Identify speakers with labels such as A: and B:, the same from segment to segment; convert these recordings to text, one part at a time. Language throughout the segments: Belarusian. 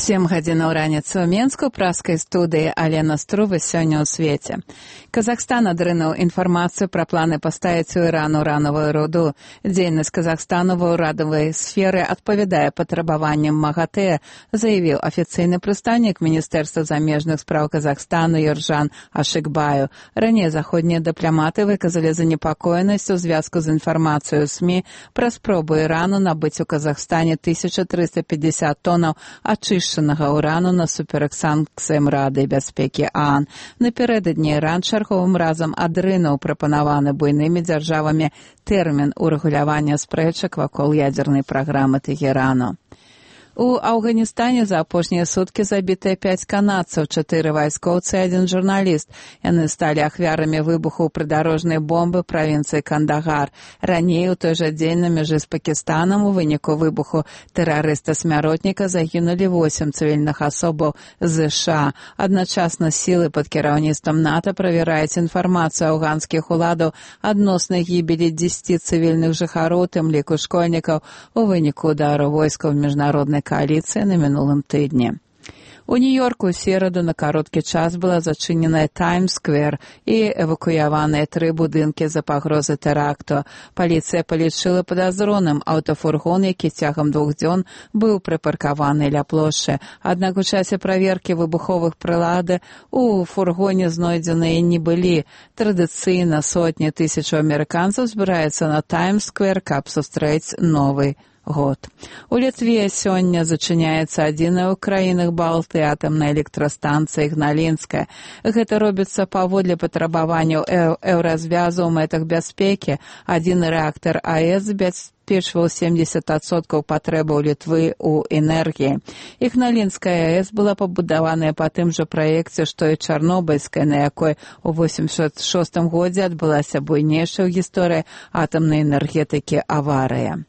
A: 7 гадзінаў раніцы ў Менску, праскай студыі Алена Струва сёння ў свеце. Казахстан адрынуў інфармацыю пра планы паставіць у Іран уранавую руду. Дзейнасць Казахстану ва ўрадавай сферы адпавядае патрабаванням МАГАТЭ, заявіў афіцыйны прадстаўнік Міністэрства замежных спраў Казахстану Ержан Ашыкбаю. Раней заходнія дыпламаты выказалі занепакоенасць у звязку з інфармацыяй у СМІ пра спробу Ірану набыць у Казахстане 1350 тонаў ачышчанага ўрану насуперак санкцыям Рады бяспекі ААН. Напярэдадні Іран чарговым разам адрынуў прапанаваны буйнымі дзяржавамі тэрмін урэгулявання спрэчак вакол ядзернай праграмы Тэхерану. У Афганістане за апошнія суткі забітыя 5 канадцаў, 4 вайскоўцы і 1 журналіст. Яны сталі ахвярамі выбуху прыдарожнай бомбы правінцыі Кандагар. Раней у той жа дзень на мяжы з Пакістанам у выніку выбуху тэрарыста-смяротніка загінулі 8 цывільных асобаў з США. Адначасна сілы пад кіраўніцтвам НАТО правяраюць інфармацыю афганскіх уладаў адносна гібелі 10 цывільных жыхароў, тым ліку школьнікаў, у выніку удару войскаў міжнароднай коаліцыі на мінулым тыдні. У Нью-Йорку ў сераду на кароткі час была зачыненая Таймс-сквер і эвакуяваныя 3 будынкі за пагрозы тэракту. Паліцыя палічыла падазроным аўтафургон, які цягам 2 дзён быў прыпаркаваны ля плошчы. Аднак у часе праверкі выбуховых прылады у фургоне знойдзеныя не былі. Традыцыйна сотні тысячаў амерыканцаў збіраюцца на Таймс-сквер, каб сустрэць новы год. У Літве сёння зачыняецца адзіная ў краінах Балты атамная электрастанцыя Ігналінская. Гэта робіцца паводле патрабаванняў еўразвязу ў мэтах бяспекі. Адзін рэактар АЭС забяспечваў 70% патрэбаў Літвы ў энергіі. Ігналінская АЭС была пабудаваная па тым жа праекце, што і Чарнобыльская, на якой у 86 годзе адбылася буйнейшая ў гісторыі атамнай энергетыкі аварыя.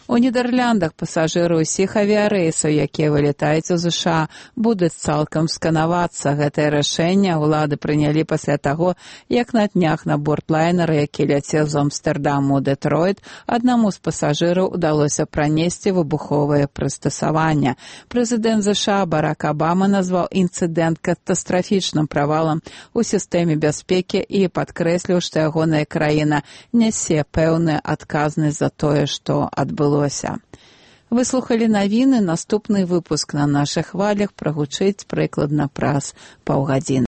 A: У Нідэрляндах пасажыры ўсіх авіярэйсаў, якія вылетаюць у ЗША, будуць цалкам сканавацца. Гэтае рашэнне ўлады прынялі пасля таго, як на днях на борт лайнера, які ляцеў з Амстэрдаму ў Дэтройт, аднаму з пасажыраў удалося пранесці выбуховае прыстасаванне. Прэзідэнт ЗША Барак Абама назваў інцыдэнт катастрафічным правалам у сістэме бяспекі і падкрэсліў, што ягоная краіна нясе пэўную адказнасць за тое, што адбылося. Вы слухалі навіны, наступны выпуск на нашых хвалях прагучыць прыкладна праз паўгадзіны.